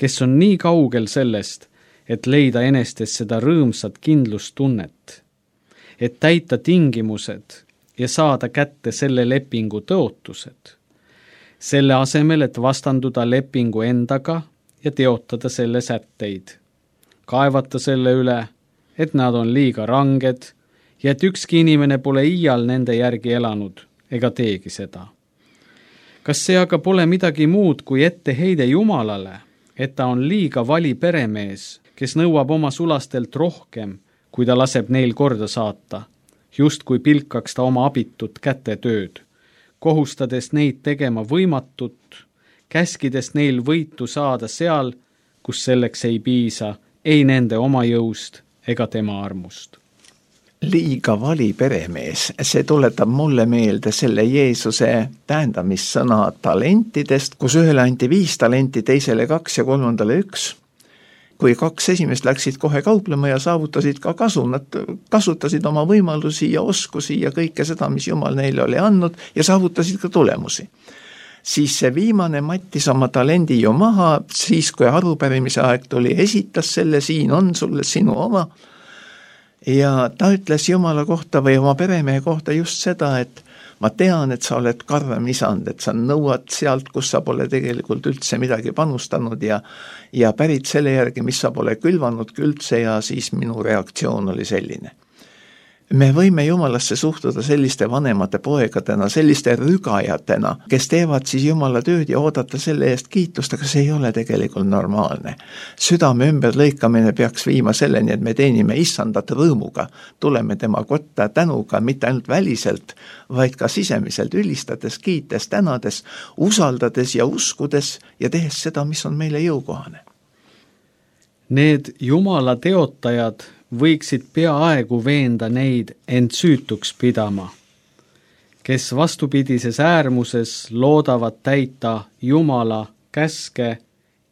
kes on nii kaugel sellest, et leida enestes seda rõõmsat kindlustunnet, et täita tingimused ja saada kätte selle lepingu tõotused. Selle asemel, et vastanduda lepingu endaga ja teotada selle sätteid. Kaevata selle üle, et nad on liiga ranged ja et ükski inimene pole iial nende järgi elanud ega teegi seda. Kas see aga pole midagi muud kui etteheide Jumalale, et ta on liiga vali peremees, kes nõuab oma sulastelt rohkem, kui ta laseb neil korda saata? Just kui pilkaks ta oma abitut kätetööd, kohustades neid tegema võimatut, käskides neil võitu saada seal, kus selleks ei piisa, ei nende oma jõust ega tema armust. Liiga vali peremees, see tuletab mulle meelde selle Jeesuse tähendamissõna talentidest, kus ühele anti viis talenti, teisele kaks ja kolmandale üks. Kui kaks esimest läksid kohe kauplema ja saavutasid ka kasu, nad kasutasid oma võimalusi ja oskusi ja kõike seda, mis Jumal neile oli andnud ja saavutasid ka tulemusi. Siis see viimane mattis oma talendi ju maha, siis kui arupärimise aeg tuli, esitas selle, siin on sulle sinu oma. Ja ta ütles Jumala kohta või oma peremehe kohta just seda, et ma tean, et sa oled karm isand, et sa nõuad sealt, kus sa pole tegelikult üldse midagi panustanud ja, ja pärit selle järgi, mis sa pole külvanud üldse ja siis minu reaktsioon oli selline. Me võime Jumalasse suhtuda selliste vanemate poegadena, selliste rügajatena, kes teevad siis Jumala tööd ja oodata selle eest kiitust, aga see ei ole tegelikult normaalne. Südame ümberlõikamine peaks viima selleni, et me teenime issandat rõõmuga, tuleme tema kotta tänuga, mitte ainult väliselt, vaid ka sisemiselt ülistades, kiites, tänades, usaldades ja uskudes ja tehes seda, mis on meile jõukohane. Need Jumala teotajad võiksid peaaegu veenda neid end süütuks pidama, kes vastupidises äärmuses loodavad täita Jumala käske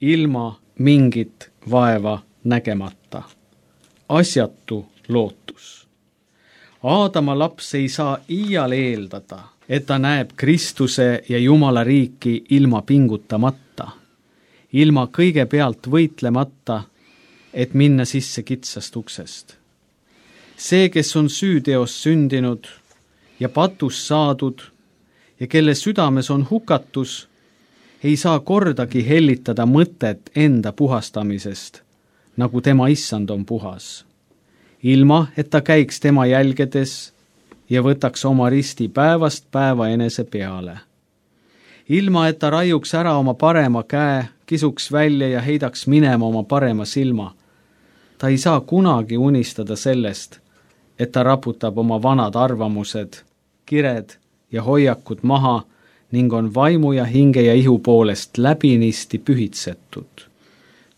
ilma mingit vaeva nägemata. Asjatu lootus. Aadama laps ei saa iial eeldada, et ta näeb Kristuse ja Jumala riiki ilma pingutamata, ilma kõigepealt võitlemata, et minna sisse kitsast uksest. See, kes on süüteos sündinud ja patus saadud ja kelle südames on hukatus, ei saa kordagi hellitada mõtet enda puhastamisest, nagu tema issand on puhas, ilma et ta käiks tema jälgedes ja võtaks oma risti päevast päeva enese peale. Ilma et ta raiuks ära oma parema käe, kisuks välja ja heidaks minema oma parema silma. Ta ei saa kunagi unistada sellest, et ta raputab oma vanad arvamused, kired ja hoiakud maha ning on vaimu ja hinge ja ihu poolest läbinisti pühitsetud,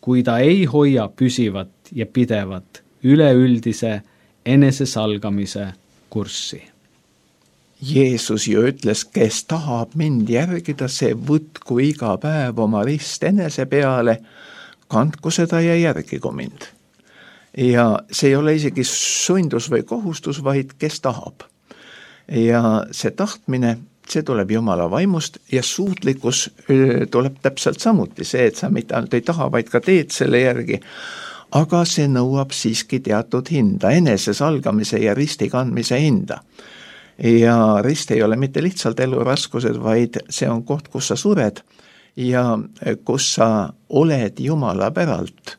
kui ta ei hoia püsivat ja pidevat üleüldise enesesalgamise kurssi. Jeesus ju ütles, kes tahab mind järgida, see võtku iga päev oma rist enese peale, kandku seda ja järgigu mind. Ja see ei ole isegi sundus või kohustus, vaid kes tahab. Ja see tahtmine, see tuleb Jumala vaimust ja suutlikkus tuleb täpselt samuti see, et sa mitte ainult ei taha, vaid ka teed selle järgi, aga see nõuab siiski teatud hinda, enesesalgamise ja risti kandmise hinda. Ja rist ei ole mitte lihtsalt eluraskused, vaid see on koht, kus sa sured ja kus sa oled Jumala päralt.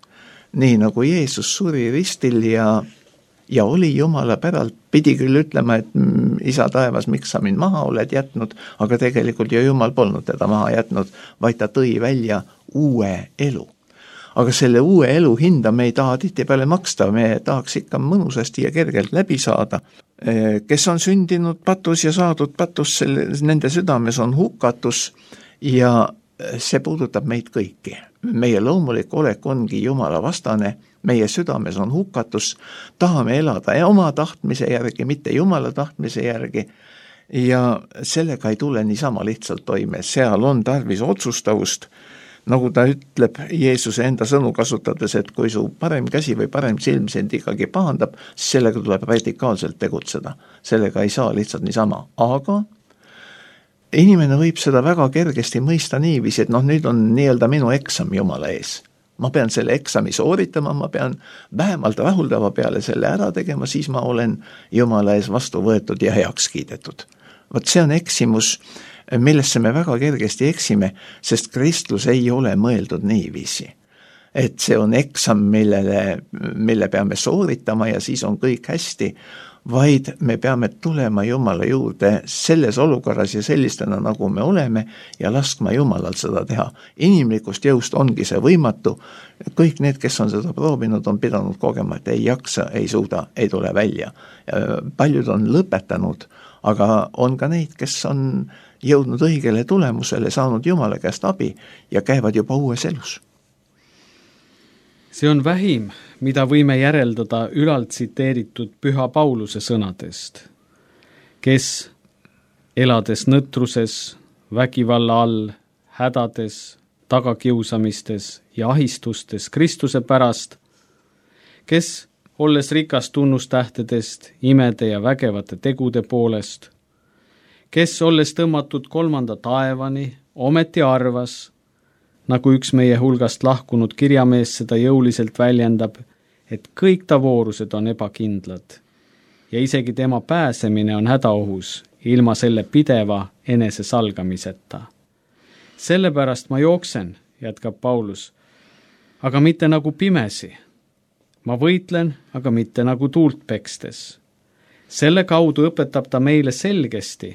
Nii nagu Jeesus suri ristil ja, ja oli Jumala päralt, pidi küll ütlema, et isa taevas, miks sa mind maha oled jätnud, aga tegelikult ju Jumal polnud teda maha jätnud, vaid ta tõi välja uue elu. Aga selle uue elu hinda me ei taha tihtipeale maksta, me tahaks ikka mõnusasti ja kergelt läbi saada. Kes on sündinud patus ja saadud patus, selle, nende südames on hukatus ja see puudutab meid kõiki. Meie loomulik olek ongi Jumala vastane, meie südames on hukatus, tahame elada oma tahtmise järgi, mitte Jumala tahtmise järgi ja sellega ei tule niisama lihtsalt toime, seal on tarvis otsustavust. Nagu ta ütleb Jeesuse enda sõnu kasutades, et kui su parem käsi või parem silm sind ikkagi pahandab, siis sellega tuleb radikaalselt tegutseda. Sellega ei saa lihtsalt niisama. Aga inimene võib seda väga kergesti mõista niiviisi, et noh, nüüd on nii-öelda minu eksam Jumala ees. Ma pean selle eksami sooritama, ma pean vähemalt rahuldava peale selle ära tegema, siis ma olen Jumala ees vastu võetud ja heaks kiidetud. Vot see on eksimus, millesse me väga kergesti eksime, sest kristlus ei ole mõeldud niiviisi. Et see on eksam, millele, mille peame sooritama ja siis on kõik hästi, vaid me peame tulema Jumala juurde selles olukorras ja sellistena, nagu me oleme ja laskma Jumalal seda teha. Inimlikust jõust ongi see võimatu. Kõik need, kes on seda proovinud, on pidanud kogema, et ei jaksa, ei suuda, ei tule välja. Paljud on lõpetanud, aga on ka neid, kes on jõudnud õigele tulemusele, saanud Jumala käest abi ja käivad juba uues elus. See on vähim, mida võime järeldada ülalt tsiteeritud Püha Pauluse sõnadest, kes elades nõtruses, vägivalla all, hädades, tagakiusamistes ja ahistustes Kristuse pärast, kes olles rikas tunnustähtedest, imede ja vägevate tegude poolest, kes olles tõmmatud kolmanda taevani, ometi arvas, nagu üks meie hulgast lahkunud kirjamees seda jõuliselt väljendab, et kõik ta voorused on ebakindlad ja isegi tema pääsemine on hädaohus ilma selle pideva enese salgamiseta. Sellepärast ma jooksen, jätkab Paulus, aga mitte nagu pimesi. Ma võitlen, aga mitte nagu tuult pekstes. Selle kaudu õpetab ta meile selgesti,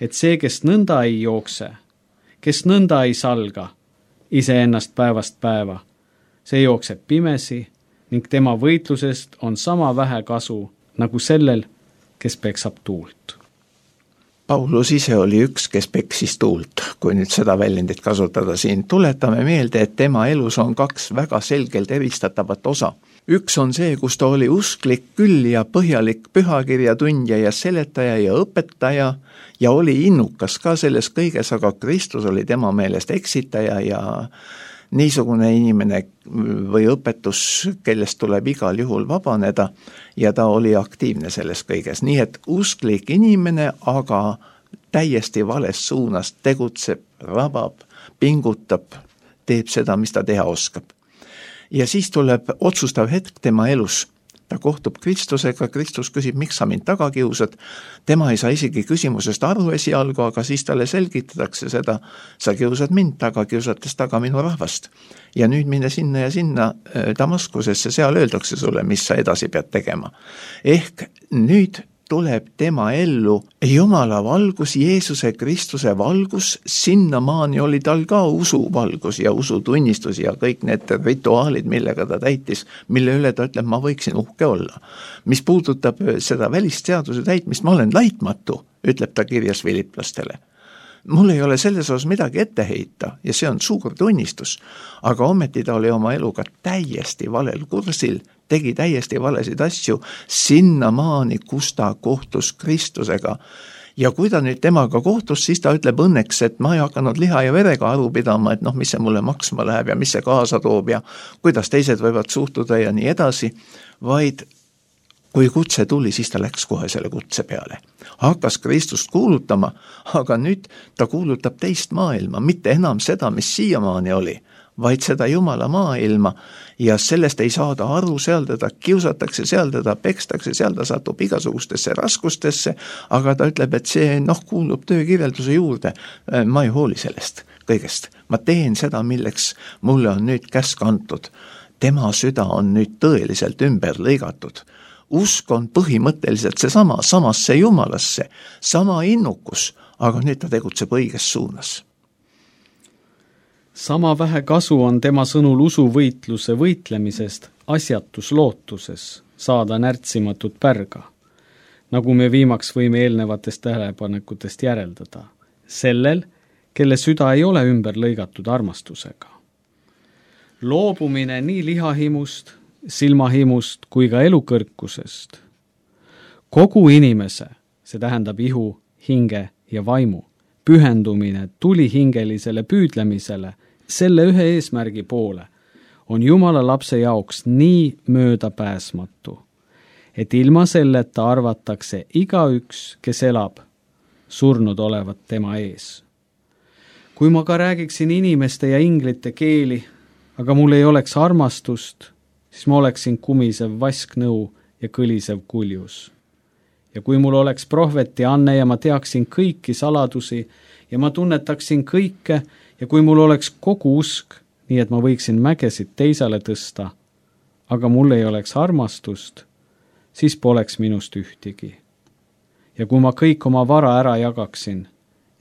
et see, kes nõnda ei jookse, kes nõnda ei salga, iseennast päevast päeva, see jookseb pimesi ning tema võitlusest on sama vähe kasu nagu sellel, kes peksab tuult. Paulus ise oli üks, kes peksis tuult, kui nüüd seda väljendit kasutada siin. Tuletame meelde, et tema elus on kaks väga selgelt eristatavat osa. Üks on see, kus ta oli usklik küll ja põhjalik pühakirja tundja ja seletaja ja õpetaja ja oli innukas ka selles kõiges, aga Kristus oli tema meelest eksitaja ja niisugune inimene või õpetus, kellest tuleb igal juhul vabaneda ja ta oli aktiivne selles kõiges. Nii et usklik inimene, aga täiesti vales suunas tegutseb, rabab, pingutab, teeb seda, mis ta teha oskab. Ja siis tuleb otsustav hetk tema elus. ta kohtub Kristusega, Kristus küsib, miks sa mind taga kiusad, tema ei saa isegi küsimusest aru esialgu, aga siis talle selgitatakse seda, sa kiusad mind taga, kiusates taga minu rahvast. Ja nüüd mine sinna ja sinna Damaskusesse, seal öeldakse sulle, mis sa edasi pead tegema. Ehk nüüd tuleb tema ellu Jumala valgus, Jeesuse Kristuse valgus, sinnamaani oli tal ka usuvalgus ja usutunnistus ja kõik need rituaalid, millega ta täitis, mille üle ta ütleb, ma võiksin uhke olla. Mis puudutab seda välistseaduse täitmist, ma olen laitmatu, ütleb ta kirjas filiplastele. Mul ei ole selles osas midagi ette heita ja see on suur tunnistus, aga ometi ta oli oma eluga täiesti valel kursil, tegi täiesti valesid asju sinnamaani, kus ta kohtus Kristusega. Ja kui ta nüüd temaga kohtus, siis ta ütleb õnneks, et ma ei hakanud liha ja verega aru pidama, et noh, mis see mulle maksma läheb ja mis see kaasa toob ja kuidas teised võivad suhtuda ja nii edasi, vaid kui kutse tuli, siis ta läks kohe selle kutse peale. Hakkas Kristust kuulutama, aga nüüd ta kuulutab teist maailma, mitte enam seda, mis siiamaani oli, vaid seda Jumala maailma ja sellest ei saada aru, seal teda kiusatakse, seal teda pekstakse, seal ta satub igasugustesse raskustesse, aga ta ütleb, et see noh, kuulub töökirjelduse juurde, ma ei hooli sellest kõigest. Ma teen seda, milleks mulle on nüüd käsk antud. Tema süda on nüüd tõeliselt ümber lõigatud. Usk on põhimõtteliselt see sama, samasse Jumalasse, sama innukus, aga nüüd ta tegutseb õiges suunas. Sama vähe kasu on tema sõnul usuvõitluse võitlemisest asjatus lootuses saada närtsimatut pärga, nagu me viimaks võime eelnevatest tähelepanekutest järeldada, sellel, kelle süda ei ole ümber lõigatud armastusega. Loobumine nii lihahimust, silmahimust kui ka elukõrkusest. Kogu inimese, see tähendab ihu, hinge ja vaimu, pühendumine tulihingelisele püüdlemisele, selle ühe eesmärgi poole, on Jumala lapse jaoks nii möödapääsmatu, et ilma selleta arvatakse igaüks, kes elab, surnud olevat tema ees. Kui ma ka räägiksin inimeste ja inglite keeli, aga mul ei oleks armastust, siis ma oleksin kumisev vasknõu ja kõlisev kuljus. Ja kui mul oleks prohveti anne ja ma teaksin kõiki saladusi ja ma tunnetaksin kõike ja kui mul oleks kogu usk, nii et ma võiksin mägesid teisele tõsta, aga mul ei oleks armastust, siis poleks minust ühtigi. Ja kui ma kõik oma vara ära jagaksin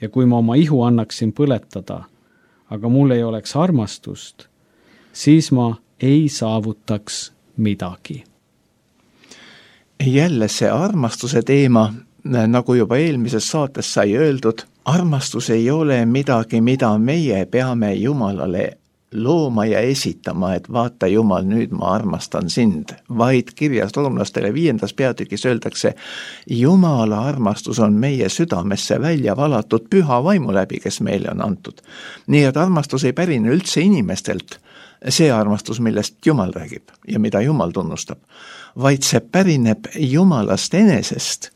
ja kui ma oma ihu annaksin põletada, aga mul ei oleks armastust, siis ma ei saavutaks midagi. Jälle see armastuse teema, nagu juba eelmises saates sai öeldud, armastus ei ole midagi, mida meie peame Jumalale looma ja esitama, et vaata Jumal, nüüd ma armastan sind, vaid kirjas roomlastele viiendas peatükis öeldakse, Jumala armastus on meie südamesse välja valatud püha vaimu läbi, kes meile on antud. Nii et armastus ei pärine üldse inimestelt, see armastus, millest Jumal räägib ja mida Jumal tunnustab, vaid see pärineb Jumalast enesest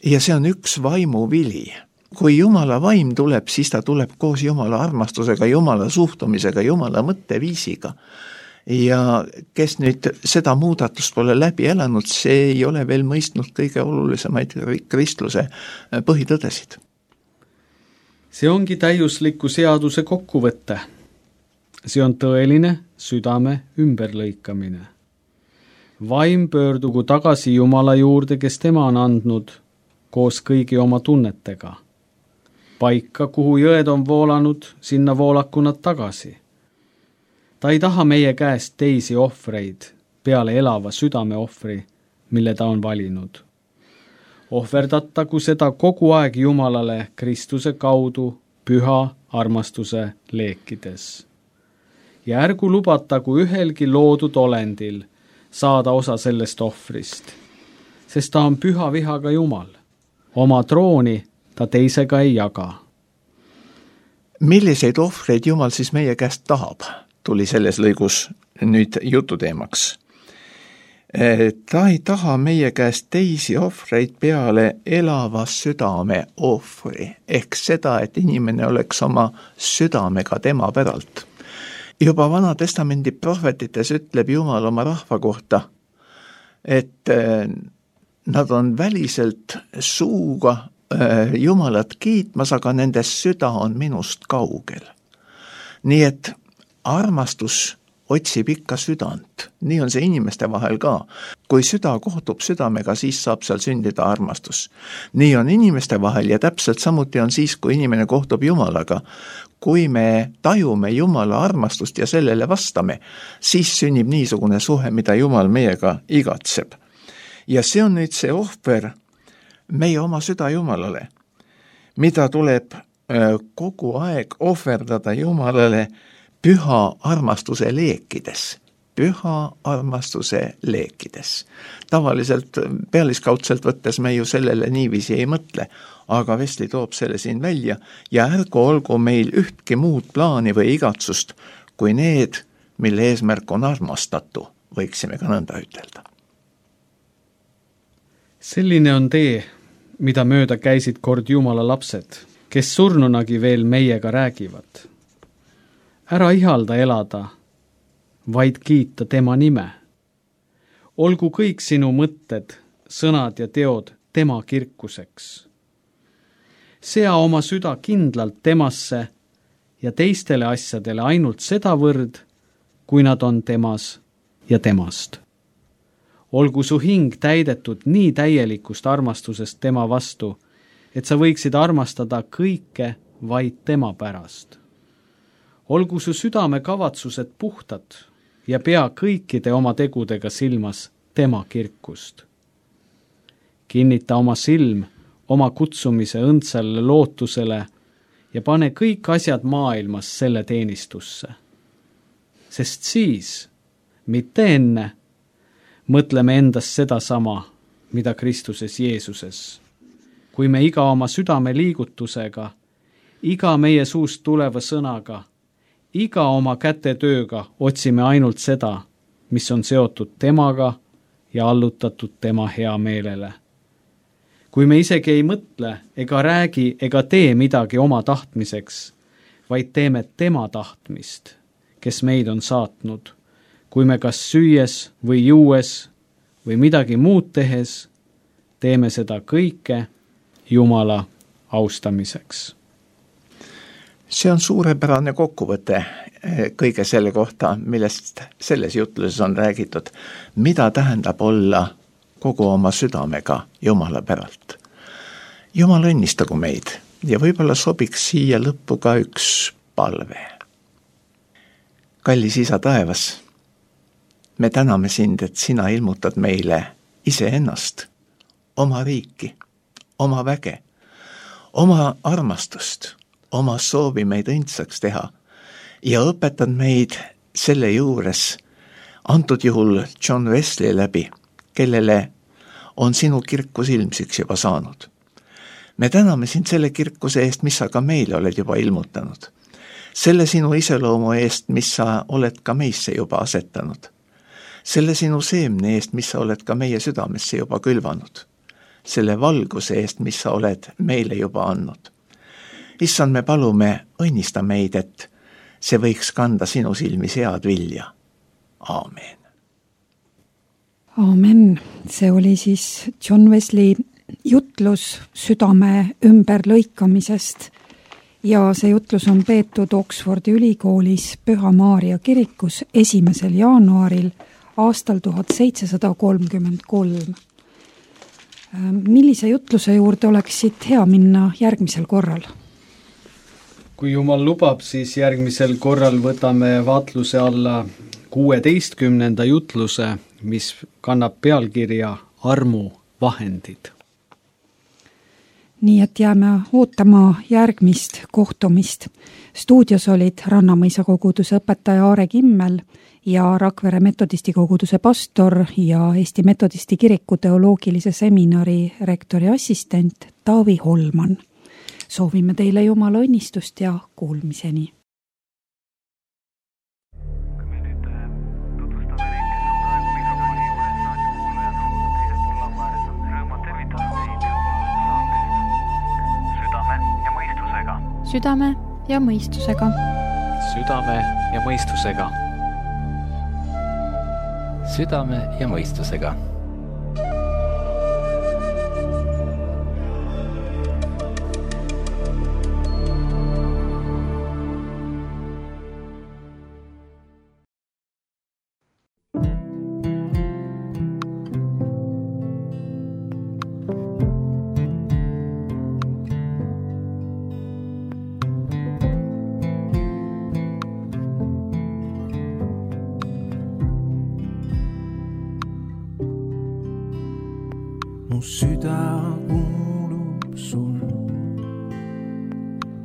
ja see on üks vaimu vili. Kui Jumala vaim tuleb, siis ta tuleb koos Jumala armastusega, Jumala suhtumisega, Jumala mõtteviisiga. Ja kes nüüd seda muudatust pole läbi elanud, see ei ole veel mõistnud kõige olulisemaid kristluse põhitõdesid. See ongi täiusliku seaduse kokkuvõtte. See on tõeline südame ümberlõikamine. Vaim pöördugu tagasi Jumala juurde, kes tema on andnud, koos kõigi oma tunnetega. Paika, kuhu jõed on voolanud, sinna voolaku nad tagasi. Ta ei taha meie käest teisi ohvreid peale elava südame ohvri, mille ta on valinud. Ohverdatagu seda kogu aeg Jumalale Kristuse kaudu püha armastuse leekides. Ja ärgu lubatagu ühelgi loodud olendil saada osa sellest ohvrist, sest ta on püha vihaga Jumal. Oma trooni ta teisega ei jaga. Milliseid ohvreid Jumal siis meie käest tahab, tuli selles lõigus nüüd jututeemaks. Ta ei taha meie käest teisi ohvreid peale elava südame ohvri, ehk seda, et inimene oleks oma südamega tema päralt. Juba Vana Testamendi prohvetites ütleb Jumal oma rahva kohta, et nad on väliselt suuga Jumalat kiitmas, aga nende süda on minust kaugel. Nii et armastus otsib ikka südant. Nii on see inimeste vahel ka. Kui süda kohtub südamega, siis saab seal sündida armastus. Nii on inimeste vahel ja täpselt samuti on siis, kui inimene kohtub Jumalaga. Kui me tajume Jumala armastust ja sellele vastame, siis sünnib niisugune suhe, mida Jumal meiega igatseb. Ja see on nüüd see ohver meie oma süda Jumalale, mida tuleb kogu aeg ohverdada Jumalale püha armastuse leekides. Püha armastuse leekides. Tavaliselt pealiskaudselt võttes me ju sellele niiviisi ei mõtle, aga Vestli toob selle siin välja ja ärgu olgu meil ühtki muud plaani või igatsust, kui need, mille eesmärk on armastatu, võiksime ka nõnda ütelda. Selline on tee, mida mööda käisid kord Jumala lapsed, kes surnunagi veel meiega räägivad. Ära ihalda elada, vaid kiita tema nime. Olgu kõik sinu mõtted, sõnad ja teod tema kirkuseks. Sea oma süda kindlalt temasse ja teistele asjadele ainult sedavõrd, kui nad on temas ja temast. Olgu su hing täidetud nii täielikust armastusest tema vastu, et sa võiksid armastada kõike vaid tema pärast. Olgu su südame kavatsused puhtad ja pea kõikide oma tegudega silmas tema kirkust. Kinnita oma silm oma kutsumise õndsale lootusele ja pane kõik asjad maailmas selle teenistusse. Sest siis, mitte enne, mõtleme endast seda sama, mida Kristuses Jeesuses. Kui me iga oma südame liigutusega, iga meie suust tuleva sõnaga, iga oma kätetööga otsime ainult seda, mis on seotud temaga ja allutatud tema hea meelele. Kui me isegi ei mõtle ega räägi ega tee midagi oma tahtmiseks, vaid teeme tema tahtmist, kes meid on saatnud, kui me kas süües või juues või midagi muud tehes, teeme seda kõike Jumala austamiseks. See on suurepärane kokkuvõte kõige selle kohta, millest selles jutluses on räägitud, mida tähendab olla kogu oma südamega Jumala päralt. Jumal õnnistagu meid ja võib-olla sobiks siia lõppu ka üks palve. Kallis Isa taevas, me täname sind, et sina ilmutad meile iseennast, oma riiki, oma väge, oma armastust, oma soovi meid õndsaks teha ja õpetad meid selle juures, antud juhul John Wesley läbi, kellele on sinu kirkus ilmsiks juba saanud. Me täname sind selle kirkuse eest, mis sa ka meile oled juba ilmutanud. Selle sinu iseloomu eest, mis sa oled ka meisse juba asetanud. Selle sinu seemne eest, mis sa oled ka meie südamesse juba külvanud. Selle valguse eest, mis sa oled meile juba andnud. Issand, me palume, õnnista meid, et see võiks kanda sinu silmis head vilja. Aamen. Aamen. See oli siis John Wesley jutlus südame ümberlõikamisest ja see jutlus on peetud Oxfordi ülikoolis Püha Maarja kirikus esimesel jaanuaril aastal tuhat seitsesada kolmkümmend kolm. Millise jutluse juurde oleksid hea minna järgmisel korral? Kui Jumal lubab, siis järgmisel korral võtame vaatluse alla kuueteistkümnenda jutluse, mis kannab pealkirja Armu vahendid. Nii et jääme ootama järgmist kohtumist. Stuudios olid Rannamõisa koguduse õpetaja Aare Kimmel ja Rakvere metodisti koguduse pastor ja Eesti metodisti kiriku teoloogilise seminari rektori assistent Taavi Holman. Soovime teile Jumala õnnistust ja kuulmiseni. Me nüüd tutvustame neid, kes on praegu mikrofoni juures, raadiokuulajad on teisel pool laua ääres, on rõõmad tervitada teid saatest Südame ja mõistusega. Südame ja mõistusega. Südame ja mõistusega. Südame ja mõistusega. mu süda kuulub sul,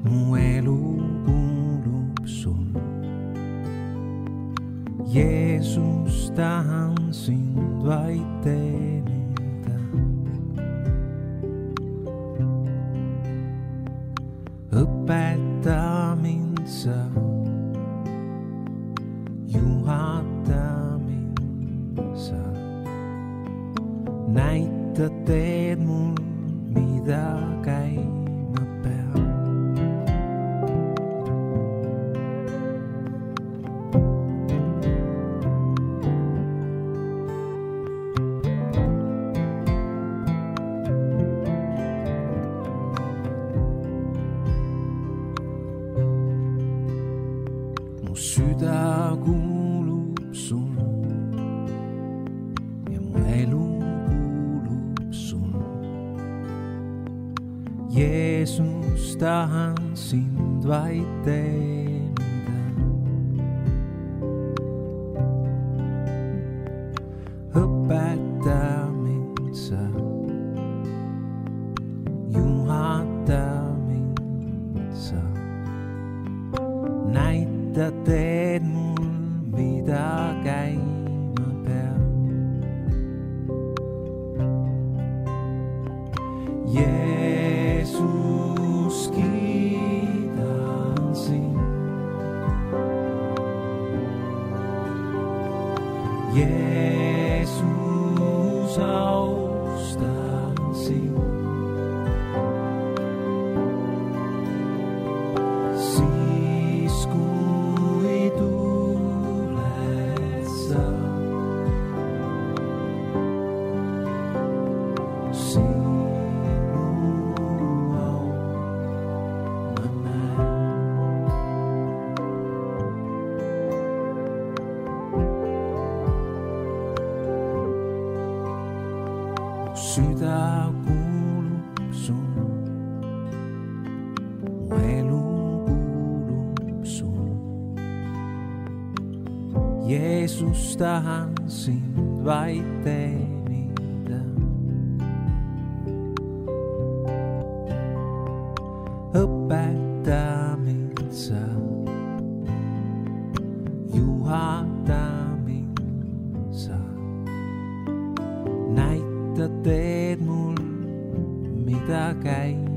mu elu kuulub sul. Jeesus, tahan sind vaid teenida. Õpeta mind sa, juhata mind sa. Näita teed mul, mida käima peab. Mu süda kuulub sul ja mu elu kuulub sul. Jeesus, tahan sind vaid teenida. Õpeta mind sa, juhata mind sa. Näita teed mul, mida käima peab. Jeesus, kiidan sind. Jeesus, austan sind. Siis kui tuled sa, sinu au ma näen. Süda kuulub sul, mu elu kuulub sul. Jeesus, tahan sind vaid teenida. Õpeta mind sa, juhata mind sa. Näita teed mul, mida käima